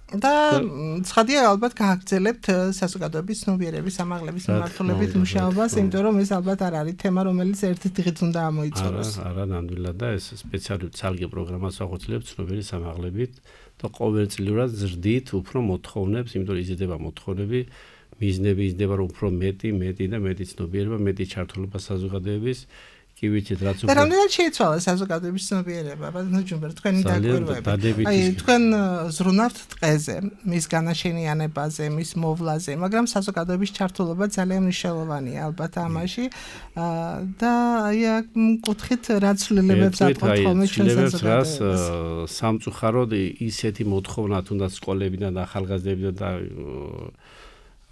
და ცხადია ალბათ გააგრძელებთ საზოგადოების ცნობიერების ამაღლების მიმართულებით მუშაობას, იმიტომ რომ ეს ალბათ არ არის თემა, რომელიც ერთი დღით უნდა ამოიწუროს. არა, ნამდვილად და ეს სპეციალური ცალკე პროგრამას ახორციელებს ცნობიერების ამაღლებით და ყოველწლიურად ზრდით უფრო მოთხოვნებს, იმიტომ რომ იზრდება მოთხოვნები, მიზნები იზრდება რომ უფრო მეტი და მეტი ცნობიერება, მეტი ჩართულობა საზოგადოების კი ვიცით რაც უფრო. და რამდენად შეიცვალა საზოგადოების ცნობიერება, ბატონო ჯუმბერ, თქვენი დაკვირვები. აი, თქვენ ზრუნავთ ტყეზე, მის განაშენიანებაზე, მის მოვლაზე, მაგრამ საზოგადოების ჩართულობა ძალიან მნიშვნელოვანია ალბათ ამაში. და აი, კუთხით რა ცვლილებებს ატყობთ ხოლმე ჩვენ საზოგადოებას? სამწუხაროდ ისეთი მოთხოვნა თუნდაც სკოლებიდან და ახალგაზრდებიდან და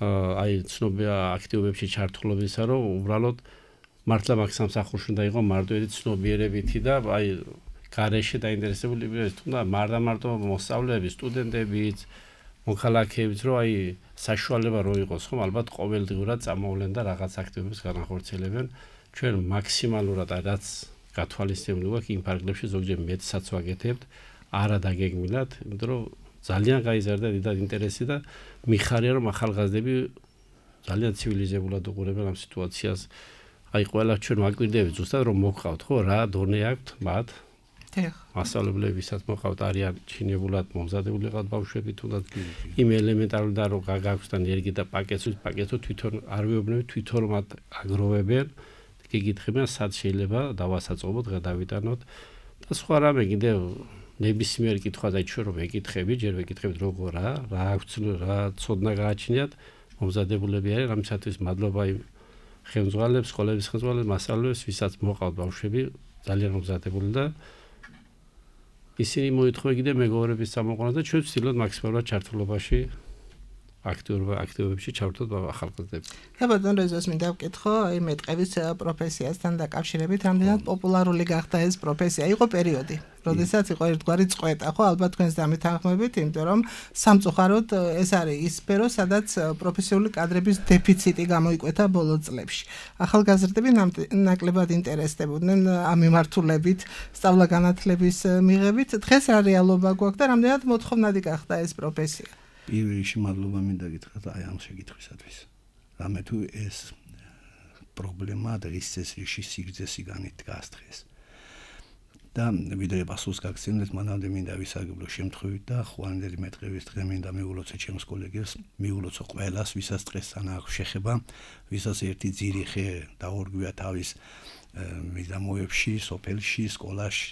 აი ცნობია აქტივობებში ჩართულობისა, რომ უბრალოდ მართლა მაგ სამსახურში უნდა იყო მარტივი ცნობიერებითი და აი გარეშე დაინტერესებული იყოს თუნდა მარტო მოსწავლეები, სტუდენტებიც, მოქალაქეებიც, რომ აი საშუალება რო იყოს, ხომ ალბათ ყოველდღურად წამოვლენ და რაღაც აქტივობებს განახორციელებენ. ჩვენ მაქსიმალურად რაც გათვალისწინებული გვაქვს იმ ფარგლებში ზოგჯერ მეტსაც ვაკეთებთ, არა დაგეგმილად, იმიტომ რომ ძალიან გაიზარდა დიდად ინტერესი და მიხარია რომ ახალგაზრდები ძალიან ცივილიზებულად უყურებენ ამ სიტუაციას. აი ყველა ჩვენ ვაკვირდებით ზუსტად რომ მოგყავთ ხო რა დონე აქვთ მათ მასწავლებლებისაც მოყავთ არიან ჩინებულად მომზადებული ყავთ ბავშვები თუნდაც იმ ელემენტარული და რომ გააქვს და ენერგია და პაკეტო თვითონ არ ვეუბნები თვითონ მათ აგროვებენ გიგითხებიან სად შეიძლება დავასაწყობოთ გადავიტანოთ და სხვა რამე კიდევ ნებისმიერ კითხვას აი ჩვენ რომ ვეკითხებით ჯერ ვეკითხებით როგორ რა აქვს რა ცოდნა გააჩნიათ მომზადებულები არის ამისათვის მადლობა ხელმძღვანელებს, სკოლების ხელმძღვანელებს, მასწავლებლებს, ვისაც მოყავთ ბავშვები, ძალიან მომზადებული და ისინი მოითხოვენ კიდე მეგობრების წამოყვანას და ჩვენ ვცდილობთ მაქსიმალურად ჩართულობაში აქტივობებში ჩავთვალოთ ახალგაზრდებს. და ბატონ რეზოს მინდა ვკითხო, აი მეტყევის პროფესიასთან დაკავშირებით, რამდენად პოპულარული გახდა ეს პროფესია? იყო პერიოდი, როდესაც იყო ერთგვარი წყვეტა, ხო, ალბათ თქვენს დამეთანხმებით, იმიტომ რომ სამწუხაროდ ეს არის ის სფერო, სადაც პროფესიული კადრების დეფიციტი გამოიკვეთა ბოლო წლებში. ახალგაზრდები ნაკლებად ინტერესდებოდნენ ამ მიმართულებით, სწავლა-განათლების მიღებით. დღეს რა რეალობა გვაქვს და რამდენად მოთხოვნადი გახდა ეს პროფესია? პირველ რიგში მადლობა მინდა გითხრათ აი ამ შეკითხვისათვის. რამე თუ ეს პრობლემა დღის წესრიგში სიგრძე სიგანით დგას დღეს. და ვიდრე პასუხს გაგცემთ, მანამდე მინდა ვისაგებლო შემთხვევით და ხვანდელი მეტყევის დღე მინდა მიულოცო ჩემს კოლეგებს, მიულოცო ყველას, ვისაც დღესთან აქვს შეხება, ვისაც ერთი ძირი ხე დაორგვია თავის მიდამოებში, სოფელში, სკოლაში,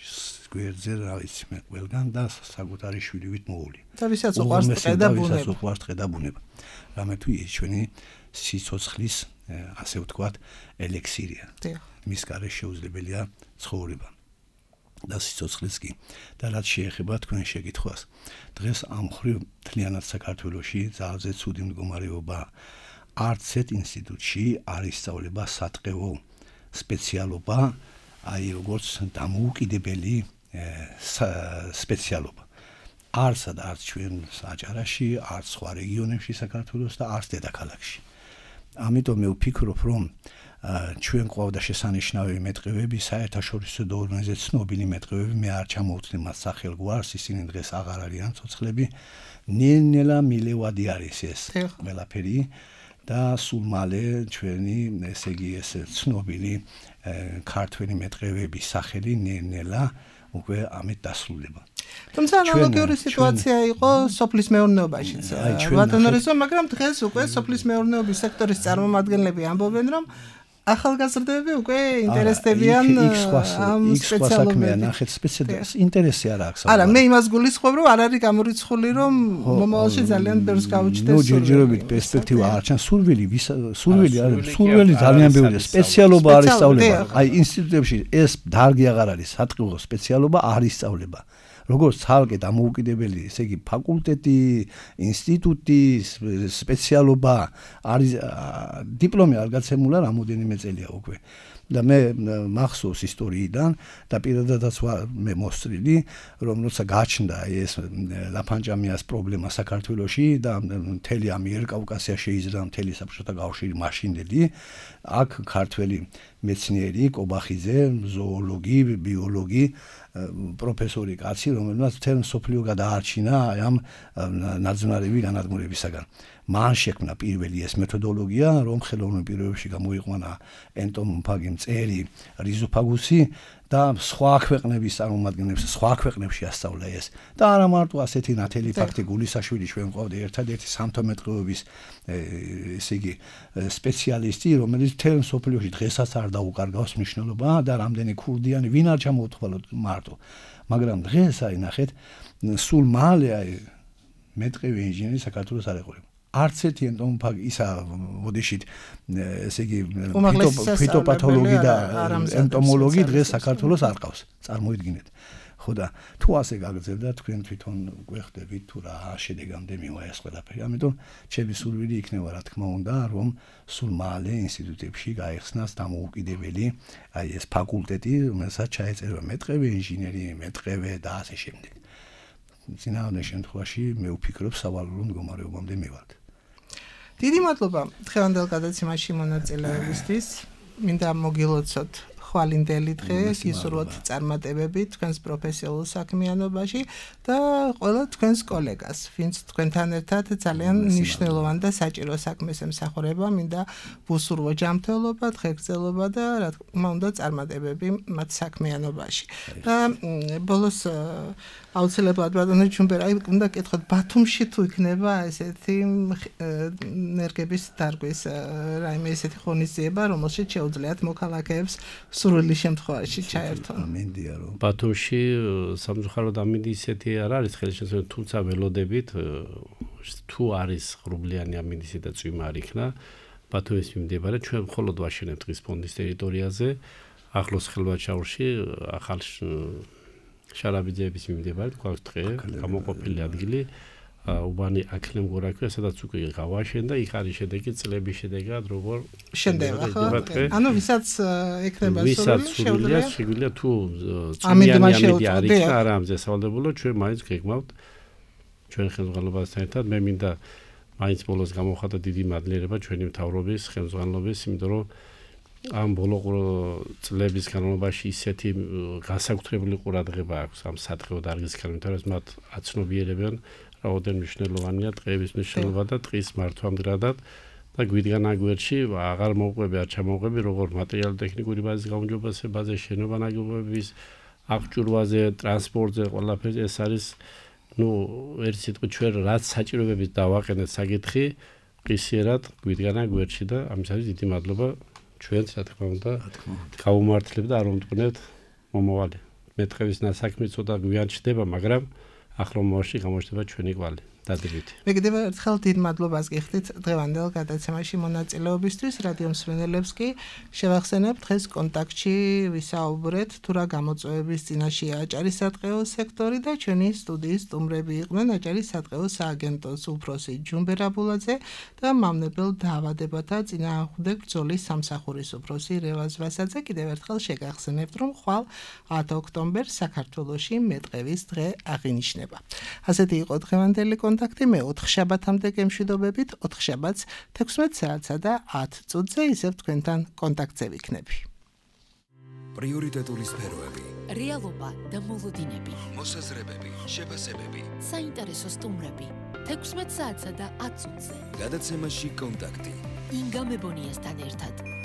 გვერდზე, რა ვიცი მე ყველგან და საკუთარი შვილივით მოული. და ვისაც უყვარს ტყე და ბუნება. ვისაც უყვარს ტყე და ბუნება. რამე თუ ის ჩვენი სიცოცხლის, ასე ვთქვათ, ელექსირია. მის გარეშე შეუძლებელია ცხოვრება. და სიცოცხლეს კი. და რაც შეეხება თქვენ შეკითხვას. დღეს ამ მხრივ მთლიანად საქართველოში ძალზე ცუდი მდგომარეობა არც ერთ ინსტიტუტში არ ისწავლება სატყეო სპეციალობა, აი როგორც დამოუკიდებელი სპეციალობა. არც ჩვენ საჯარაში, არც სხვა რეგიონებში საქართველოს და არც დედაქალაქში. ამიტომ მე ვფიქრობ, რომ ჩვენ ყავდა შესანიშნავი მეტყევები, საერთაშორისო დონეზე ცნობილი მეტყევები, მე არ ჩამოვთვლი მათ სახელგვარს, ისინი დღეს აღარ არიან ცოცხლები. ნელ-ნელა მილევადი არის ეს ყველაფერი და სულ მალე ჩვენი, ესე იგი, ეს ცნობილი ქართველი მეტყევების სახელი ნელ-ნელა უკვე ამით დასრულდება. თუმცა ანალოგიური სიტუაცია იყო სოფლის მეურნეობაშიც. ბატონო რეზო, მაგრამ დღეს უკვე სოფლის მეურნეობის სექტორის წარმომადგენლები ამბობენ, რომ ახალგაზრდები უკვე ინტერესდებიან ამ სპეციალობებით. ნახეთ სპეციალობას ინტერესი არ აქვს. არა, მე იმას გულისხმობ, რომ არ არის გამორიცხული, რომ მომავალში ძალიან ბევრს გაუჩნდეს. ნუ ჯერჯერობით პერსპექტივა არ ჩანს. სურვილი არის, სურვილი ძალიან ბევრია. სპეციალობა არ ისწავლება. აი ინსტიტუტებში ეს დარგი აღარ არის, სატყეო სპეციალობა არ ისწავლება. როგორც ცალკე დამოუკიდებელი, ესე იგი ფაკულტეტი, ინსტიტუტი, სპეციალობა არის დიპლომი არ გაცემულა რამოდენიმე წელია უკვე. და მე მახსოვს ისტორიიდან და პირადადაც მე მოსწრილი რომ როცა გაჩნდა ეს ლაფანჯამიას პრობლემა საქართველოში და მთელი ამიერკავკასია შეიზრდა მთელი საბჭოთა კავშირი მაშინდელი აქ ქართველი მეცნიერი კობახიძე ზოოლოგი ბიოლოგი პროფესორი კაცი რომელმაც მთელ მსოფლიო გადაარჩინა ამ ნაძვნარები განადგურებისაგან მან შექმნა პირველი ეს მეთოდოლოგია რომ ხელოვნურ პირობებში გამოიყვანა ენტომოფაგი მწერი რიზოფაგუსი და სხვა ქვეყნების წარმომადგენლებს სხვა ქვეყნებში ასწავლა ეს და არა მარტო ასეთი ნათელი ფაქტი გულისაშვილი ჩვენ ყავდა ერთადერთი სამთომეტყუების ესე იგი სპეციალისტი რომელიც მთელ მსოფლიოში დღესაც არ დაუკარგავს მნიშვნელობა და რამდენი ქურდიანი ვინ არ ჩამოუთვალოთ მარტო მაგრამ დღეს აი ნახეთ სულ მალე აი მეტყევი ინჟინერი საქართველოს არ ეყოლება არც ერთი ენტომოფაგი ისა მოდიშით ესე იგი ფიტოპათოლოგი და ენტომოლოგი დღეს საქართველოს არ ყავს წარმოიდგინეთ ხო და თუ ასე გაგრძელდა თქვენ თვითონ გვეხდებით თუ რა შედეგამდე მივა ეს ყველაფერი ამიტომ ჩემი სურვილი იქნება რა თქმა უნდა რომ სულ მალე ინსტიტუტებში გაიხსნას დამოუკიდებელი აი ეს ფაკულტეტი რომელსაც ჩაეწერა მეტყევი ინჟინერი მეტყევე და ასე შემდეგ წინააღმდეგ შემთხვევაში მე ვფიქრობ სავალალო მდგომარეობამდე მივართ დიდი მადლობა დღევანდელ გადაცემაში მონაწილეობისთვის მინდა მოგილოცოთ ხვალინდელი დღე გისურვოთ წარმატებები თქვენს პროფესიულ საქმიანობაში და ყველა თქვენს კოლეგას ვინც თქვენთან ერთად ძალიან მნიშვნელოვან და საჭირო საქმეს ემსახურება მინდა ვუსურვო ჯანმრთელობა დღეგრძელობა და რა თქმა უნდა წარმატებები მათ საქმიანობაში და ბოლოს აუცილებლად ბატონო ჩუმბერ აი უნდა კითხოთ ბათუმში თუ იქნება ესეთი ენერგების დარგვის რაიმე ესეთი ღონისძიება რომელშიც შეუძლიათ მოქალაქეებს სურვილი შემთხვევაში ჩაერთონ მინდია რომ ბათუმში სამწუხაროდ ამინდი ისეთი არ არის ხელშესრულება თუმცა ველოდებით თუ არის ღრუბლიანი ამინდისი და წვიმა არ იქნა ბათუმის მიმდებარე ჩვენ მხოლოდ ვაშენებთ დღის ფონდის ტერიტორიაზე ახლოს ხელვაჩაურში ახალ შარაბიძეების მიმდებარედ გვაქვს დღე გამოყოფილი ადგილი უბანი აკლემგორაქვია სადაც უკვე გავაშენ და იქ არის შედეგი წლების შედეგად როგორ შენდება ხო ანუ ვისაც ექნება შეგვიძლია თუ წვიანი ამინდი არ იქნა არა ამზესავლებულო ჩვენ მაინც გეგმავთ ჩვენ ხელმძღვანელობასთან ერთად მე მინდა მაინც ბოლოს გამოვხატა დიდი მადლიერება ჩვენი მთავრობის ხელმძღვანელობის იმიტომ რომ ამ ბოლო წლების განმავლობაში ისეთი განსაკუთრებული ყურადღება აქვს ამ სადღეო დარგისკენ იმიტომ რომ მათ აცნობიერებენ რაოდენ მნიშვნელოვანია დღეების მნიშვნელობა და დღის მართვამდგრადად და გვიდგან აგვერში აღარ მოვყვები არ ჩამოვყვები როგორ მატერიალურ-ტექნიკური ბაზის გაუმჯობესებაზე შენობა ნაგებობების აღჭურვაზე ტრანსპორტზე ყველაფერზე ეს არის ნუ ერთ სიტყვით ჩვენ რაც საჭიროებებით დავაყენეთ საკითხი ყისიერად გვიდგან აგვერში და ამისათვის დიდი მადლობა ჩვენც რა თქმა უნდა გავუმართლებთ და არ ვუმტყნევთ მომავალი მეტყევის ნასაქმე ცოტა გვიან ჩდება მაგრამ ახლა მომავალში გამოჩნდება ჩვენი კვალი დადებითი მე კიდევ ერთხელ დიდ მადლობას გიხდით დღევანდელ გადაცემაში მონაწილეობისთვის რადიო მსმენელებს კი შევახსენებ დღეს კონტაქტში ვისაუბრეთ თუ რა გამოწვევების წინაშეა აჭარის სატყეო სექტორი და ჩვენი სტუდიის სტუმრები იყვნენ აჭარის სატყეო სააგენტოს უფროსი ჯუმბერ აბულაძე და მამნებელ დაავადებათა წინააღმდეგ ბრძოლის სამსახურის უფროსი რევაზ ვასაძე კიდევ ერთხელ შეგახსენებთ რომ ხვალ 10 ოქტომბერს საქართველოში მეტყევის დღე აღინიშნება ასეთი იყო დღევანდელი კონტაქტი მე 4 შაბათამდე გემშვიდობებით 4 შაბათს 16 საათსა და 10 წუთზე ისევ თქვენთან კონტაქტზე ვიქნები პრიორიტეტული სფეროები რეალობა და მოლოდინები მოსაზრებები შეფასებები საინტერესო სტუმრები 16 საათსა და 10 წუთზე გადაცემაში კონტაქტი ინგა მებონიასთან ერთად